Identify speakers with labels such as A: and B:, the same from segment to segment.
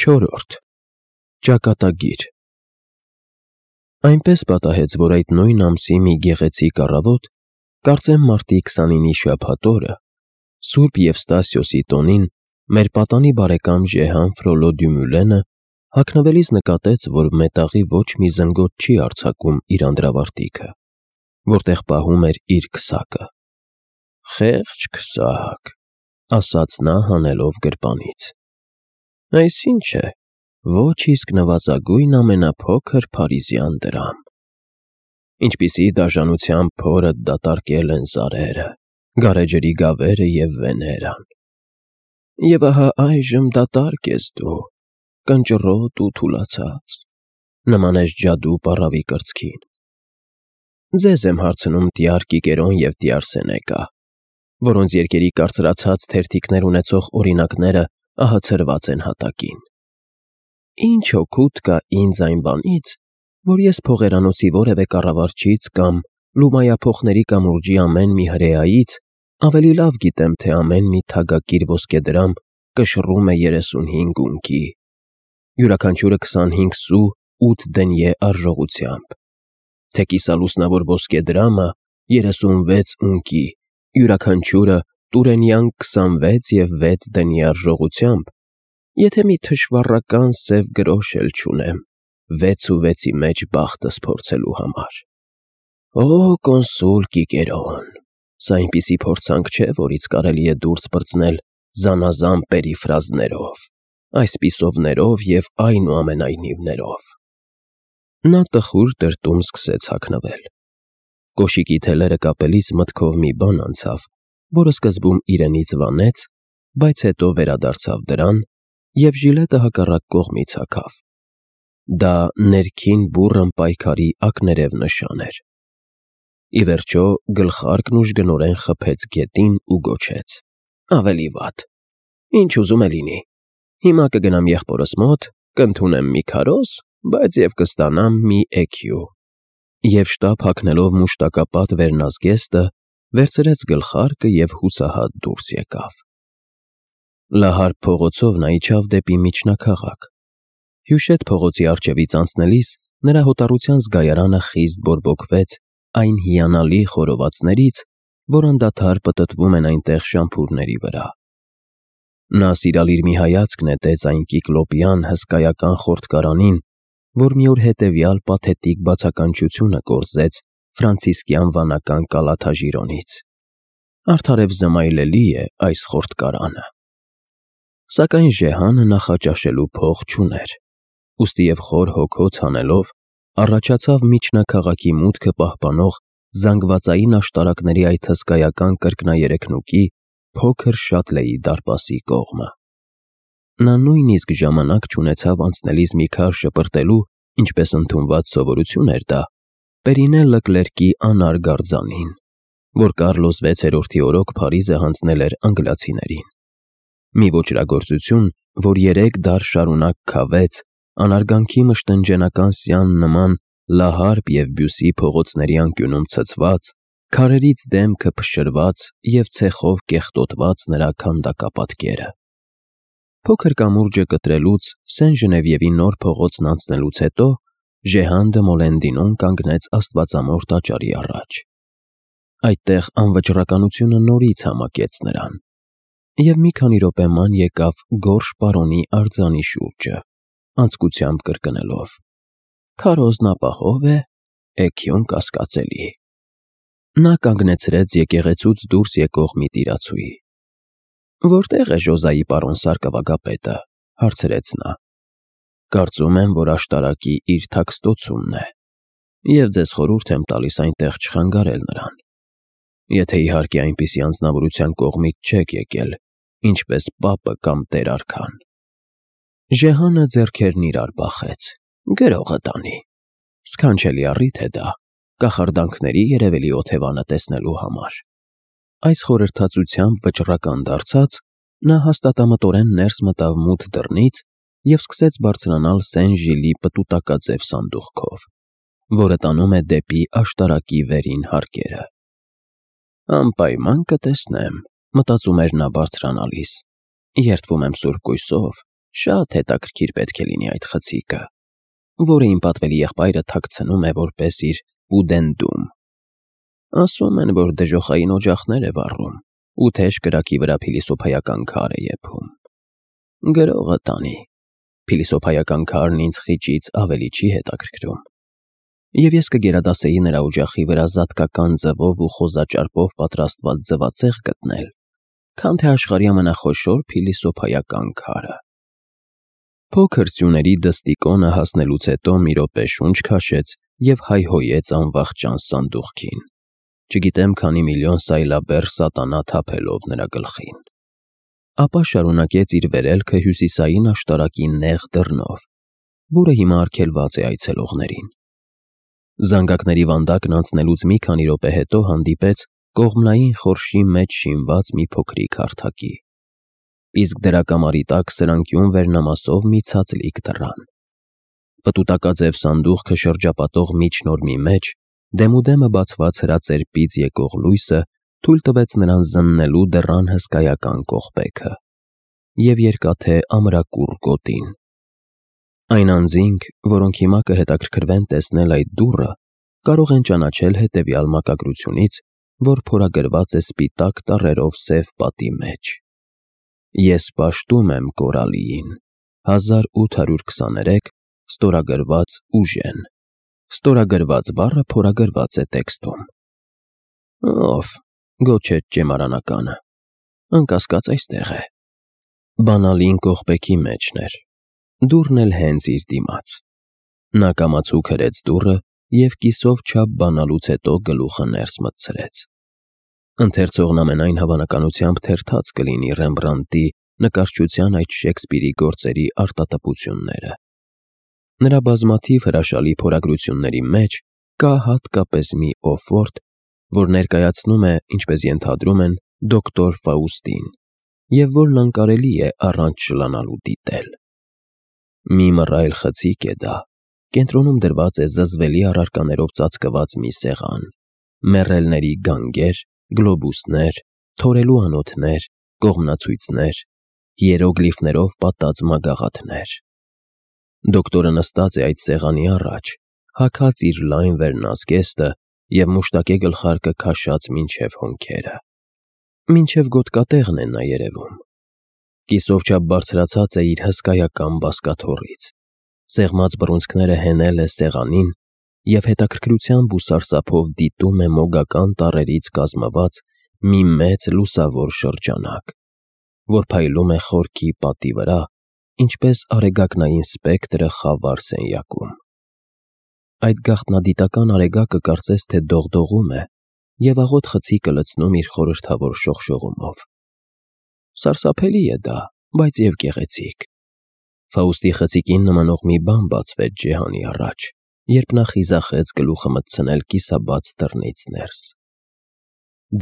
A: 4. Ճակատագիր Այնպես պատահեց, որ այդ նույն ամսի մի գեղեցիկ առավոտ, կարծեմ մարտի 29-ի շաբաթ օրը, Սուրբ Եվստասիոսի տոնին, մեր պատանի բարեկամ Ժեհան Ֆրոլո Դյումուլենը հագնվելիս նկատեց, որ մետաղի ոչ մի զնգոտ չի արձակում իր անդրավարտիքը, որտեղ պահում էր իր քսակը։ «Խեղճ քսակ», ասաց նա հանելով գրպանից։ «Այս ի՞նչ է, ոչ իսկ նվազագույն ամենափոքր փարիզյան դրամ։ Ինչպիսի դաժանությամբ փորդ դատարկել են զարերը, գարեջրի գավերը և Վեներան։ Եվ ահա այժմ դատարկ ես դու, կնճռոտ ու թուլացած, նման ես ջադու պառավի կրծքին։ Ձեզ եմ հարցնում Տյար Կիկերոն և Տյար Սենեկա, որոնց երկերի կարծրացած թերթիկներ ունեցող օրինակները ահացրված են հատակին։ Ինչ օգուտ կա ինձ այն բանից, որ ես փողերանոցի որևէ կառավարչից կամ լումայափոխների կամուրջի ամեն մի հրեայից ավելի լավ գիտեմ, թե ամեն մի թագակիր ոսկեդրամ կշռում է 35 ունկի, յուրաքանչյուրը 25 սու 8 դենյե արժողությամբ, թե կիսալուսնավոր ոսկեդրամը 36 ունկի, յուրաքանչյուրը տուրենյան 26 և 6 դենյե արժողությամբ, եթե մի թշվառական սև գրոշ էլ չունեմ 6 ու 6-ի մեջ բախտս փորձելու համար։ Օ կոնսուլ Կիկերոն, սա այնպիսի փորձանք չէ, որից կարելի է դուրս պրծնել զանազան պերիֆրազներով, այսպիսովներով և այնուամենայնիվներով։ Նա տխուր տրտում սկսեց հագնվել։ Կոշիկի թելերը կապելիս մտքով մի բան անցավ, որը սկզբում իրենից վանեց, բայց հետո վերադարձավ դրան, և ժիլետը հակառակ կողմից հագավ։ Դա ներքին բուռն պայքարի ակներև նշան էր։ Ի վերջո գլխարկն ուժգնորեն խփեց գետին ու գոչեց. «Ավելի վատ։ Ինչ ուզում է լինի։ Հիմա կգնամ եղբորս մոտ, կընդունեմ մի քարոզ, բայց և կստանամ մի էքյու»։ Եվ շտապ հագնելով մուշտակապատ վերնազգեստը, վերցրեց գլխարկը և հուսահատ դուրս եկավ։ Լահարկ փողոցով նա իջավ դեպի միջնաքաղաք։ Հյուշետ փողոցի առջևից անցնելիս նրա հոտառության զգայարանը խիստ բորբոքվեց այն հիանալի խորովածներից, որ անդադար պտտվում են այնտեղ շամփուրների վրա։ Նա սիրալիր մի հայացք նետեց այն կիկլոպյան հսկայական խորտկարանին, որ մի օր հետևյալ պաթետիկ բացականչությունը կորզեց ֆրանցիսկյան վանական կալաթաժիրոնից։ Արդարև զմայլելի է այս խորտկարանը։ Սակայն Ժեհանը նախաճաշելու փող չուներ, ուստիև խոր հոգոց հանելով, առաջացավ միջնաքաղաքի մուտքը պահպանող զանգվածային աշտարակների այդ հսկայական կրկներեքնուկի փոքր Շատլեի դարպասի կողմը։ Նա նույնիսկ ժամանակ չունեցավ անցնելիս մի քար շպրտելու, ինչպես ընդունված սովորություն էր դա, Պերինե Լկլերկի անարգ արձանին, որ Կարլոս 6-րդի օրոք Փարիզը հանձնել էր անգլիացիներին։ Մի ոճրագործություն, որ 3 դար շարունակ քավեց անարգանքի մշտնջենական սյան նման Լահարբ և Բյուսի փողոցների անկյունում ցցված, քարերից դեմքը փշրված և ցեխով կեղտոտված նրա քանդակապատկերը։ Փոքր կամուրջը կտրելուց, Սեն Ժնևիևի նոր փողոցն անցնելուց հետո Ժեհան դը Մոլենդինոն կանգնեց Աստվածամոր տաճարի առաջ։ Այդտեղ անվճռականությունը նորից համակեց նրան, և մի քանի րոպե ման եկավ գորշ պարոնի արձանի շուրջը, անձկությամբ կրկնելով. «Քարոզն ապահով է, էքյուն կասկածելի»։ Նա կանգնեցրեց եկեղեցուց դուրս եկող մի տիրացուի։ «Որտե՞ղ է Ժոզայի պարոն սարկավագապետը», հարցրեց նա։ «Կարծում եմ, որ աշտարակի իր թաքստոցումն է, և ձեզ խորհուրդ եմ տալիս այնտեղ չխանգարել նրան, եթե իհարկե այնպիսի անձնավորության կողմից չեք եկել, ինչպես պապը կամ տեր֊արքան»։ Ժեհանը ձեռքերն իրար բախեց. «Գրողը տանի։ Սքանչելի առիթ է դա, կախարդանքների երևելի օթևանը տեսնելու համար»։ Այս խորհրդածությամբ վճռական դարձած, նա հաստատամտորեն ներս մտավ մութ դռնից և սկսեց բարձրանալ Սեն Ժիլի պտուտակաձև սանդուղքով, որը տանում է դեպի աշտարակի վերին հարկերը։ «Անպայման կտեսնեմ», մտածում էր նա բարձրանալիս, «երդվում եմ սուրբ կույսով, Շատ հետաքրքիր պետք է լինի այդ խցիկը, որը իմ պատվելի եղբայրը թաքցնում է որպես իր ուդենդում։ Ասում են, որ դժոխային օջախներ է վառում ու թեժ կրակի վրա փիլիսոփայական քար է եփում։ Գրողը տանի, փիլիսոփայական քարն ինձ խիճից ավելի չի հետաքրքրում։ Եվ ես կգերադասեի նրա օջախի վրա զատկական ձվով ու խոզաճարպով պատրաստված ձվածեղ գտնել, քան թե աշխարհի ամենախոշոր փիլիսոփայական քարը։ Փոքր սյուների դստիկոնը հասնելուց հետո մի րոպե շունչ քաշեց և հայհոյեց անվախճան սանդուղքին, չգիտեմ քանի միլիոն սայլաբեռ սատանա թափելով նրա գլխին։ Ապա շարունակեց իր վերելքը հյուսիսային աշտարակի նեղ դռնով, որը հիմա արգելված է այցելողներին։ Զանգակների վանդակն անցնելուց մի քանի րոպե հետո հանդիպեց կողմնային խորշի մեջ շինված մի փոքրիկ հարթակի, իսկ դրա կամարի տակ սրանկյուն վերնամասով մի ցածլիկ դռան։ Պտուտակաձև սանդուղքը շրջապատող միջնորմի մեջ դեմուդեմը բացված հրածերպից եկող լույսը թույլ տվեց նրան զննելու դռան հսկայական կողպեքը և երկաթե ամրակուռ գոտին։ Այն անձինք, որոնք հիմա կհետաքրքրվեն տեսնել այդ դուռը, կարող են ճանաչել հետևյալ մակագրությունից, որ փորագրված է սպիտակ տառերով սև պատի մեջ. Ես պաշտում եմ Կորալիին, 1823, ստորագրված ուժեն։ Ստորագրված բառը փորագրված է տեքստում։ Ով, գոչեց ճեմարանականը, անկասկած այստեղ է։ Բանալին կողպեքի մեջն էր, դուռն էլ հենց իր դիմաց։ Նա կամացուկ հրեց դուռը և կիսով չափ բանալուց հետո գլուխը ներս մտցրեց։ Ընթերցողն ամենայն հավանականությամբ թերթած կլինի Ռեմբրանդտի նկարչության այդ Շեքսպիրի գործերի արտատպությունները։ Նրա բազմաթիվ հրաշալի փորագրությունների մեջ կա հատկապես մի օֆորտ, որ ներկայացնում է, ինչպես ենթադրում են, դոկտոր Ֆաուստին, և որն անկարելի է առանց շլանալու դիտել։ Մի մռայլ խցիկ է դա, կենտրոնում դրված է զզվելի առարկաներով ծածկված մի սեղան, մեռելների գանգեր, գլոբուսներ, թորելու անոթներ, կողմնացույցներ, հիերոգլիֆներով պատած մագաղաթներ։ Դոկտորը նստած է այդ սեղանի առաջ, հագած իր լայն վերնազգեստը և մուշտակե գլխարկը քաշած մինչև հոնքերը։ Մինչև գոտկատեղն է նա երևում։ Կիսով չափ բարձրացած է իր հսկայական բազկաթոռից, սեղմած բռունցքները հենել է սեղանին և հետաքրքրությամբ ու սարսափով դիտում է մոգական տառերից կազմված մի մեծ լուսավոր շրջանակ, որ փայլում է խորքի պատի վրա, ինչպես արեգակնային սպեկտրը խավար սենյակում։ Այդ գաղտնադիտական արեգակը կարծես թե դողդողում է և աղոտ խցիկը լցնում իր խորհրդավոր շողշողումով։ Սարսափելի է դա, բայց և գեղեցիկ։ Ֆաուստի խցիկին նմանող մի բան բացվեց Ջեհանի առաջ, երբ նա խիզախեց գլուխը մտցնել կիսաբաց դռնից ներս։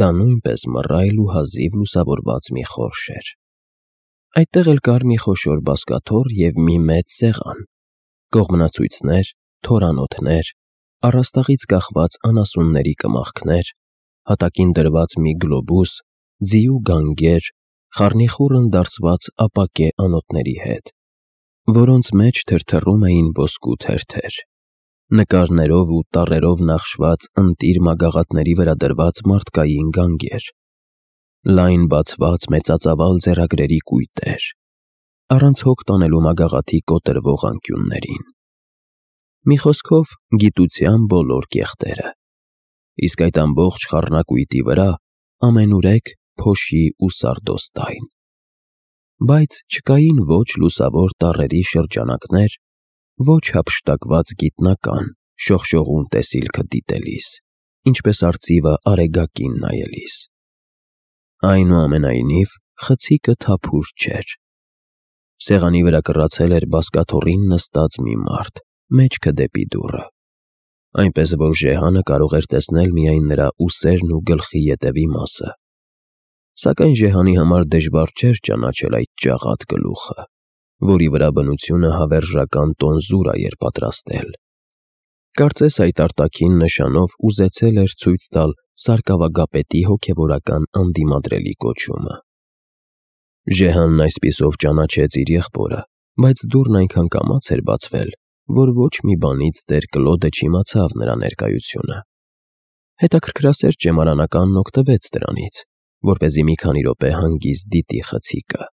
A: Դա նույնպես մռայլ ու հազիվ լուսավորված մի խորշ էր։ Այդտեղ էլ կար մի խոշոր բազկաթոռ և մի մեծ սեղան, կողմնացույցներ, թորանոթներ, առաստաղից կախված անասունների կմախքներ, հատակին դրված մի գլոբուս, ձիու գանգեր, խառնիխուռն դարձված ապակե անոթների հետ, որոնց մեջ թրթռում էին ոսկու թերթեր, նկարներով ու տառերով նախշված ընտիր մագաղաթների վրա դրված մարդկային գանգեր, լայն բացված մեծածավալ ձեռագրերի կույտեր, առանց հոգ տանելու մագաղաթի կոտրվող անկյուններին։ Մի խոսքով, գիտության բոլոր կեղտերը, իսկ այդ ամբողջ խառնակույտի վրա ամենուրեք փոշի ու սարդոստայն։ Բայց չկային ոչ լուսավոր տառերի շրջանակներ, ոչ հափշտակված գիտնական, շողշողուն տեսիլքը դիտելիս, ինչպես արծիվը արեգակին նայելիս։ Այնուամենայնիվ, խցիկը թափուր չէր։ Սեղանի վրա կռացել էր բազկաթոռին նստած մի մարդ, մեջքը դեպի դուռը, այնպես որ Ժեհանը կարող էր տեսնել միայն նրա ուսերն ու գլխի ետևի մասը։ Սակայն Ժեհանի համար դժվար չէր ճանաչել այդ ճաղատ գլուխը, որի վրա բնությունը հավերժական տոնզուրա էր պատրաստել։ Կարծես այդ արտաքին նշանով ուզեցել էր ցույց տալ սարկավագապետի հոգևորական անդիմադրելի կոչումը։ Ժեհանն այսպիսով ճանաչեց իր եղբորը բայց դուռն այնքան կամաց էր բացվել, որ ոչ մի բանից տեր Կլոդը չիմացավ նրա ներկայությունը։ Հետաքրքրասեր ճեմարանականն օգտվեց դրանից, որպեսզի մի քանի րոպե հանգիստ դիտի խցիկը։